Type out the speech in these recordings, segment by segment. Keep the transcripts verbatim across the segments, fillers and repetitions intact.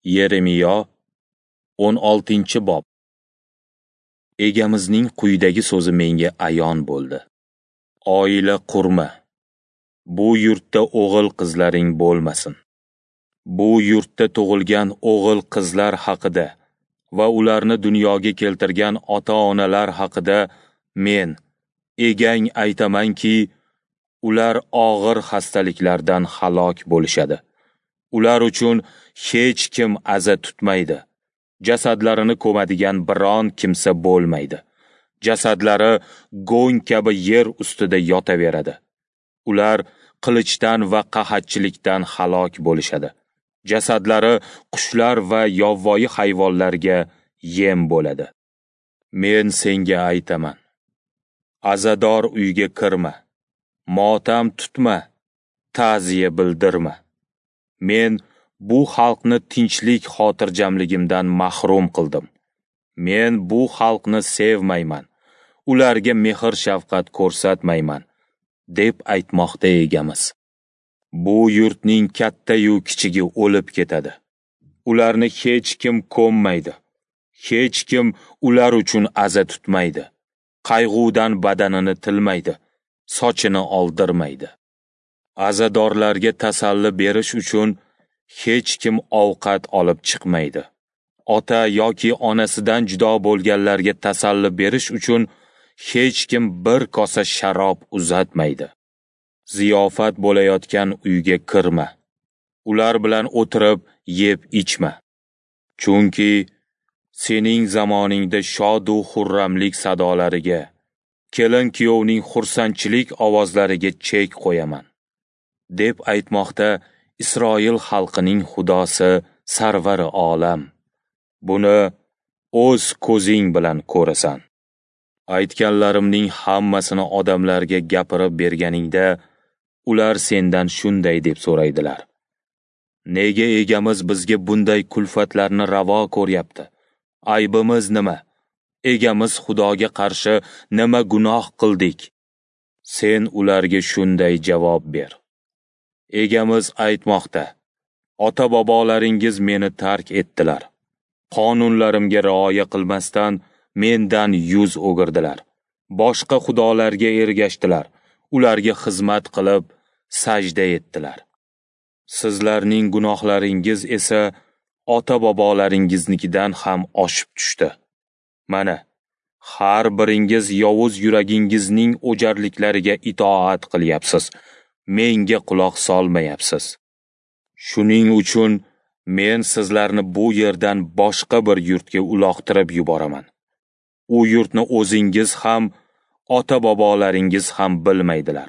Yeremiyo o'n oltinchi bob. Egamizning quyidagi so'zi menga ayon bo'ldi. Oila qurma. Bu yurtda o'g'il qizlaring bo'lmasin. Bu yurtda tug'ilgan o'g'il qizlar haqida va ularni dunyoga keltirgan ota-onalar haqida men, egang aytamanki, ular og'ir xastaliklardan halok bo'lishadi. Ular uchun hech kim aza tutmaydi. Jasadlarini ko'madigan biron kimsa bo'lmaydi. Jasadlari go'ng kabi yer ustida yotaveradi. Ular qilichdan va qahatchilikdan halok bo'lishadi. Jasadlari qushlar va yovvoyi hayvonlarga yem bo'ladi. Men senga aytaman: azador uyga kirma, motam tutma, ta'ziya bildirma. Men bu xalqni tinchlik xotirjamligimdan mahrum qildim. Men bu xalqni sevmayman, ularga mehr-shafqat ko'rsatmayman, deb aytmoqda egamiz. Bu yurtning katta-yu kichigi o'lib ketadi. Ularni hech kim ko'mmaydi. Hech kim ular uchun aza tutmaydi. Qayg'udan badanini tilmaydi, sochini oldirmaydi. Azadorlarga tasalli berish uchun hech kim ovqat olib chiqmaydi. Ota yoki onasidan judo bo'lganlarga tasalli berish uchun hech kim bir kosa sharob uzatmaydi. Ziyofat bo'layotgan uyga kirma. Ular bilan o'tirib yeb ichma. Chunki sening zamoningda shodu xurramlik sadolariga, kelin-kuyovning xursandchilik ovozlariga chek qo'yaman, deb aytmoqda Isroil xalqining Xudosi Sarvari olam. Buni o'z ko'zing bilan ko'rasan. Aytganlarimning hammasini odamlarga gapirib berganingda, ular sendan shunday deb so'raydilar: nega egamiz bizga bunday kulfatlarni ravo ko'ryapti? Aybimiz nima? Egamiz Xudoga qarshi nima gunoh qildik? Sen ularga shunday javob ber: Egamiz aytmoqda: ota-bobolaringiz meni tark etdilar. Qonunlarimga rioya qilmasdan mendan yuz o'girdilar. Boshqa xudolarga ergashdilar, ularga xizmat qilib sajda etdilar. Sizlarning gunohlaringiz esa ota-bobolaringiznikidan ham oshib tushdi. Mana, har biringiz yovuz yuragingizning o'jarliklariga itoat qilyapsiz. Menga quloq solmayapsiz. Shuning uchun men sizlarni bu yerdan boshqa bir yurtga uloqtirib yuboraman. U yurtni o'zingiz ham, ota-bobolaringiz ham bilmaydilar.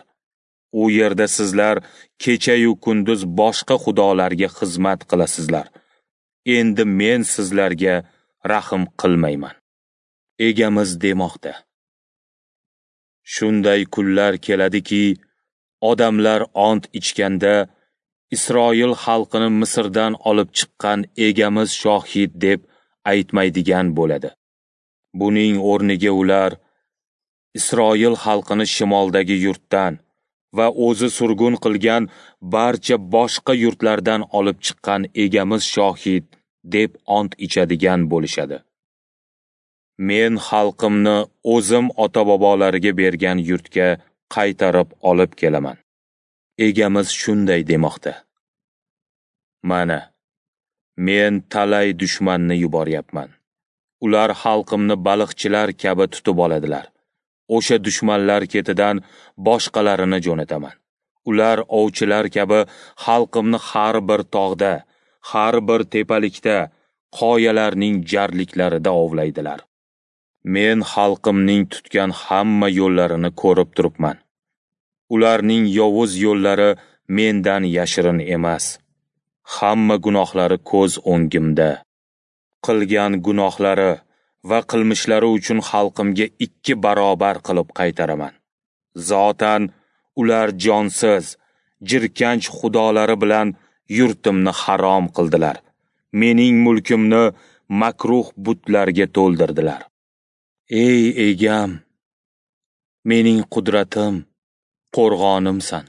U yerda sizlar kecha-yu kunduz boshqa xudolarga xizmat qilasizlar. Endi men sizlarga rahm qilmayman. Egamiz demoqda: shunday kunlar keladiki, odamlar ont ichganda Isroil xalqini Misrdan olib chiqqan egamiz shohid deb aytmaydigan bo'ladi. Buning o'rniga ular Isroil xalqini shimoldagi yurtdan va o'zi surgun qilgan barcha boshqa yurtlardan olib chiqqan egamiz shohid deb ont ichadigan bo'lishadi. Men xalqimni o'zim ota-bobolariga bergan yurtga qaytarib olib kelaman. Egamiz shunday demoqda: mana, men talay dushmanni yuboryapman. Ular xalqimni baliqchilar kabi tutib oladilar. O'sha dushmanlar ketidan boshqalarini jo'nataman. Ular ovchilar kabi xalqimni har bir tog'da, har bir tepalikda, qoyalarning jarliklarida ovlaydilar. Men xalqimning tutgan hamma yo'llarini ko'rib turibman. Ularning yovuz yo'llari mendan yashirin emas. Hamma gunohlari ko'z o'ngimda. Qilgan gunohlari va qilmishlari uchun xalqimga ikki barobar qilib qaytaraman. Zotan ular jonsiz, jirkanch xudolari bilan yurtimni harom qildilar. Mening mulkimni makruh butlarga to'ldirdilar. Ey egam, mening qudratim, qo'rg'onimsan.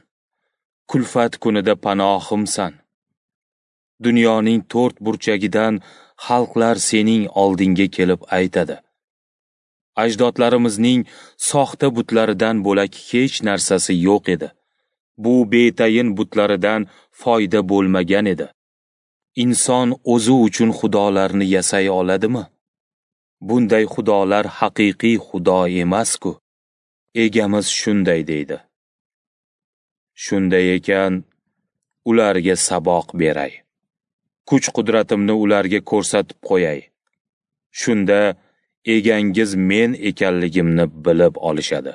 Kulfat kunida panohimsan. Dunyoning to'rt burchagidan xalqlar sening oldingga kelib aytadi: Ajdodlarimizning soxta butlaridan bo'lak hech narsasi yo'q edi. Bu betayin butlaridan foyda bo'lmagan edi. Inson o'zi uchun xudolarni yasay oladimi? Bunday xudolar haqiqiy xudo emas-ku. Egamiz shunday deydi. Shunday ekan, ularga saboq beray. Kuch-qudratimni ularga ko'rsatib qo'yay. Shunda egangiz men ekanligimni bilib olishadi.